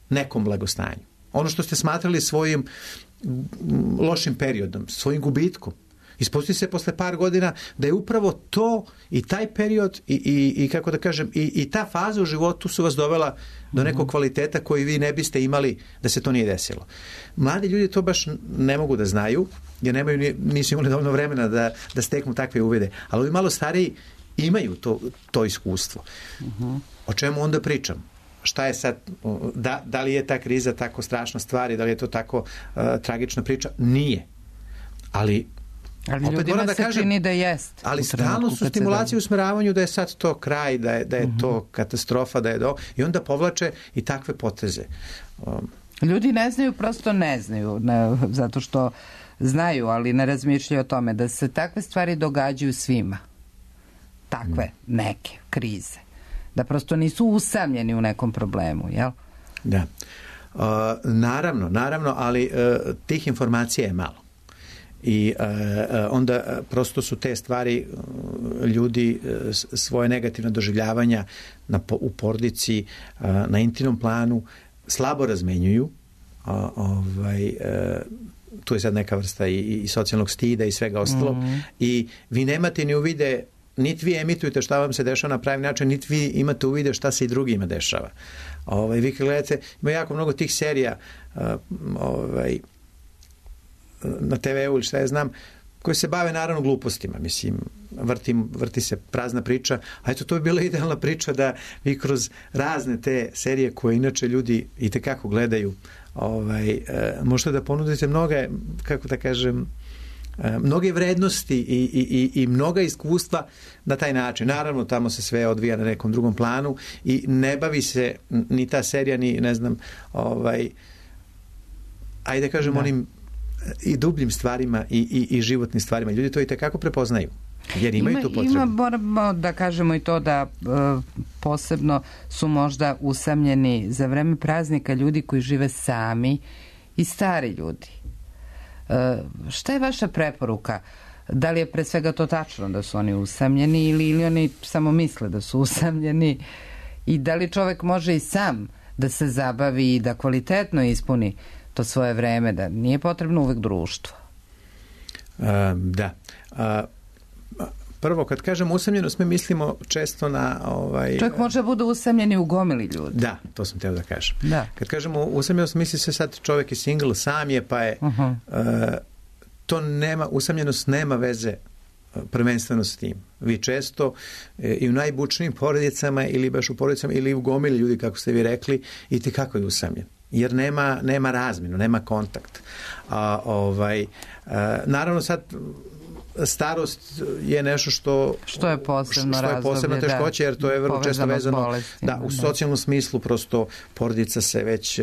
nekom blagostanju. Ono što ste smatrali svojim lošim periodom, svojim gubitkom, ispostavi se posle par godina da je upravo to i taj period i kako da kažem, i ta faza u životu su vas dovela do nekog kvaliteta koji vi ne biste imali da se to nije desilo. Mladi ljudi to baš ne mogu da znaju, jer nisu imali dovoljno vremena da steknu takve uvide. Ali ovi malo stariji imaju to iskustvo. O čemu onda pričam? Šta je sad, da li je ta kriza tako strašna stvar i da li je to tako tragična priča? Nije. Ali ljudima se čini da jest. Ali stalno su stimulacije u usmeravanju da je sad to kraj, da je to katastrofa, i onda povlače i takve poteze. Ljudi ne znaju, prosto ne znaju, zato što znaju, ali ne razmišljaju o tome da se takve stvari događaju svima. Takve neke krize. Da prosto nisu usamljeni u nekom problemu, jel? Da. Naravno, ali tih informacija je malo. I onda prosto su te stvari ljudi svoje negativne doživljavanja u porodici, na intimnom planu slabo razmenjuju. Tu je sad neka vrsta i socijalnog stida i svega ostalog. I vi nemate ni uvide, niti vi emitujete šta vam se dešava na pravi način, niti vi imate uvide šta se i drugima dešava. Vi kad gledate, ima jako mnogo tih serija na TV-u ili šta ja znam, koji se bave naravno glupostima. Mislim, vrti se prazna priča, a eto, to bi bila idealna priča da vi kroz razne te serije koje inače ljudi itekako gledaju, možete da ponudite mnoge, kako da kažem, mnoge vrednosti i mnoga iskustva na taj način. Naravno, tamo se sve odvija na nekom drugom planu i ne bavi se ni ta serija, ni ne znam, ajde kažem, onim i dubljim stvarima i životnim stvarima. Ljudi to i tekako prepoznaju, jer imaju tu potrebu. Moramo da kažemo i to da posebno su možda usamljeni za vreme praznika ljudi koji žive sami i stari ljudi. Šta je vaša preporuka? Da li je pre svega to tačno da su oni usamljeni ili oni samo misle da su usamljeni i da li čovek može i sam da se zabavi i da kvalitetno ispuni to svoje vreme, da nije potrebno uvek društvo? Da. Prvo, kad kažemo usamljenost, mi mislimo često na... Čovjek može bude usamljen i u gomili ljudi. Da, to sam teo da kažem. Da. Kad kažemo usamljenost, misli se sad čovjek je single, sam je, pa je... To nema, usamljenost nema veze prvenstveno s tim. Vi često i u najbučnijim porodicama ili baš u porodicama ili u gomili ljudi, kako ste vi rekli, i ti kako je usamljen. Jer nema razminu, nema kontakt. Naravno sad starost je nešto što je posebno teškoće, jer to je vrlo često vezano u socijalnom smislu, prosto porodica se već,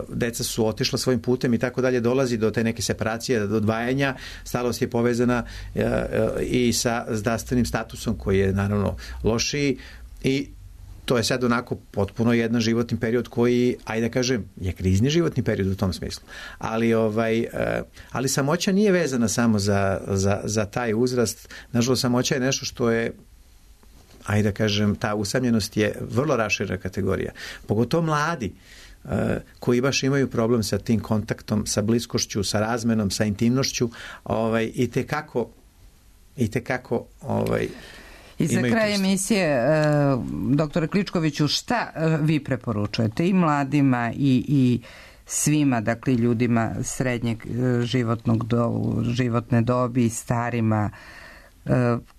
deca su otišla svojim putem i tako dalje, dolazi do te neke separacije, do odvajanja. Starost je povezana i sa zdravstvenim statusom koji je naravno lošiji i to je sad onako potpuno jedan životni period koji, ajde da kažem, je krizni životni period u tom smislu. Ali samoća nije vezana samo za taj uzrast. Nažalost, samoća je nešto što je, ajde da kažem, ta usamljenost je vrlo raširena kategorija. Pogotovo mladi koji baš imaju problem sa tim kontaktom, sa bliskošću, sa razmenom, sa intimnošću, i tekako I za kraj emisije, doktore Kličkoviću, šta vi preporučujete i mladima i svima, dakle ljudima srednjeg životne dobi i starima,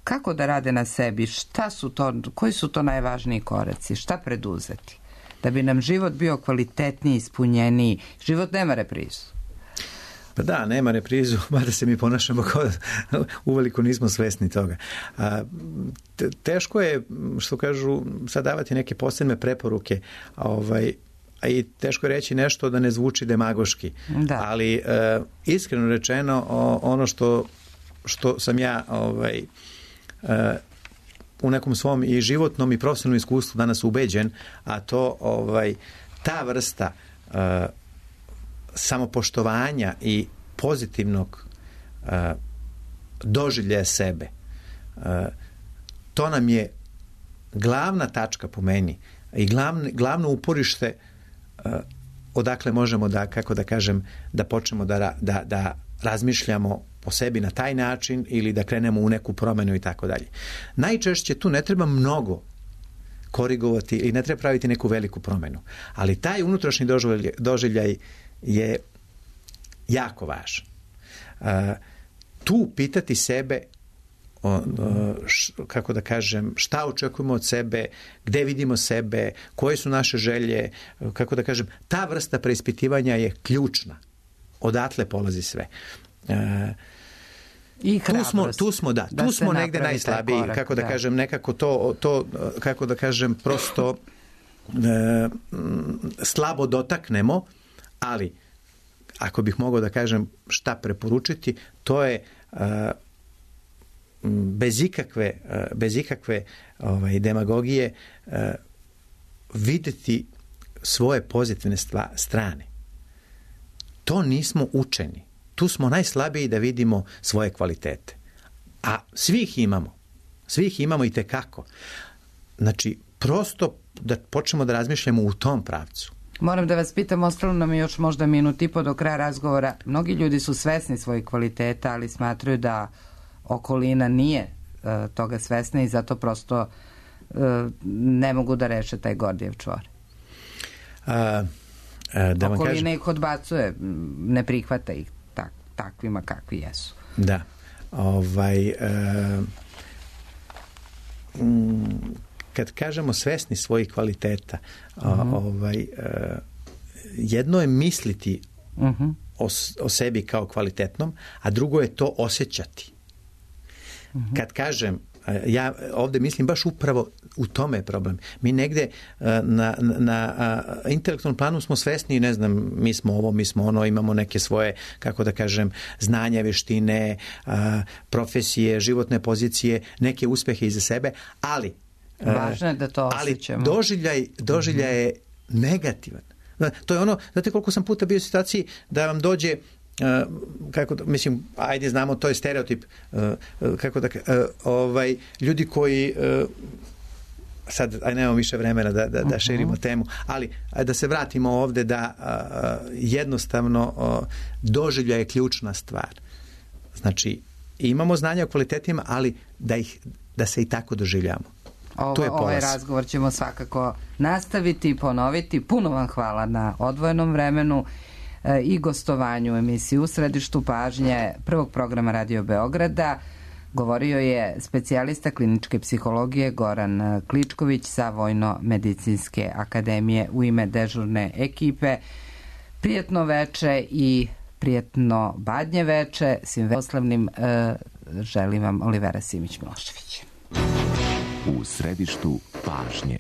kako da rade na sebi, koji su to najvažniji koraci, šta preduzeti da bi nam život bio kvalitetniji, ispunjeniji? Život nema reprizu. Pa da, nema reprizu, mada se mi ponašamo kao uveliko nismo svesni toga. Teško je, što kažu, sad davati neke posebne preporuke, a i teško je reći nešto da ne zvuči demagoški. Da. Ali iskreno rečeno, ono što sam ja u nekom svom i životnom i profesionalnom iskustvu danas ubeđen, a to ta vrsta samopoštovanja i pozitivnog doživljaja sebe. To nam je glavna tačka po meni i glavno uporište odakle možemo da počnemo da razmišljamo po sebi na taj način ili da krenemo u neku promenu i tako dalje. Najčešće tu ne treba mnogo korigovati i ne treba praviti neku veliku promenu. Ali taj unutrašnji doživljaj je jako važan. Tu pitati sebe kako da kažem, šta očekujemo od sebe, gde vidimo sebe, koje su naše želje, kako da kažem, ta vrsta preispitivanja je ključna. Odatle polazi sve. I hrabrost. Tu smo negde najslabiji, kako da kažem, nekako to kako da kažem, prosto slabo dotaknemo, ali ako bih mogao da kažem šta preporučiti, to je bez ikakve demagogije videti svoje pozitivne strane. To nismo učeni. Tu smo najslabiji da vidimo svoje kvalitete. A svi ih imamo i tekako. Znači, prosto da počnemo da razmišljamo u tom pravcu. Moram da vas pitam, ostalo nam je još možda minut i po do kraja razgovora. Mnogi ljudi su svesni svojih kvaliteta, ali smatraju da okolina nije toga svesna i zato prosto ne mogu da reše taj Gordijev čvor. Okolina ih odbacuje, ne prihvata ih takvima kakvi jesu. Da. Kad kažemo svesni svojih kvaliteta, jedno je misliti o sebi kao kvalitetnom, a drugo je to osjećati. Kad kažem, ja ovdje mislim baš upravo u tome je problem. Mi negde na intelektualnom planu smo svesni, ne znam, mi smo ovo, mi smo ono, imamo neke svoje, kako da kažem, znanja, veštine, profesije, životne pozicije, neke uspehe iza sebe, ali važno je da to osjećamo. Ali doživljaj je negativan. To je ono, znate koliko sam puta bio u situaciji da vam dođe mislim, ajde znamo, to je stereotip, ljudi koji sad, nemamo više vremena da širimo temu, ali da se vratimo ovde da jednostavno doživljaj je ključna stvar. Znači, I imamo znanja o kvalitetima, ali da se i tako doživljamo. Ovaj razgovor ćemo svakako nastaviti i ponoviti. Puno vam hvala na odvojenom vremenu i gostovanju u emisiji U središtu pažnje prvog programa Radio Beograda. Govorio je specijalista kliničke psihologije Goran Kličković sa Vojno-medicinske akademije. U ime dežurne ekipe prijetno veče i prijetno badnje veče. Svim poslovnim želim vam Olivera Simić-Milošević. U središtu pažnje.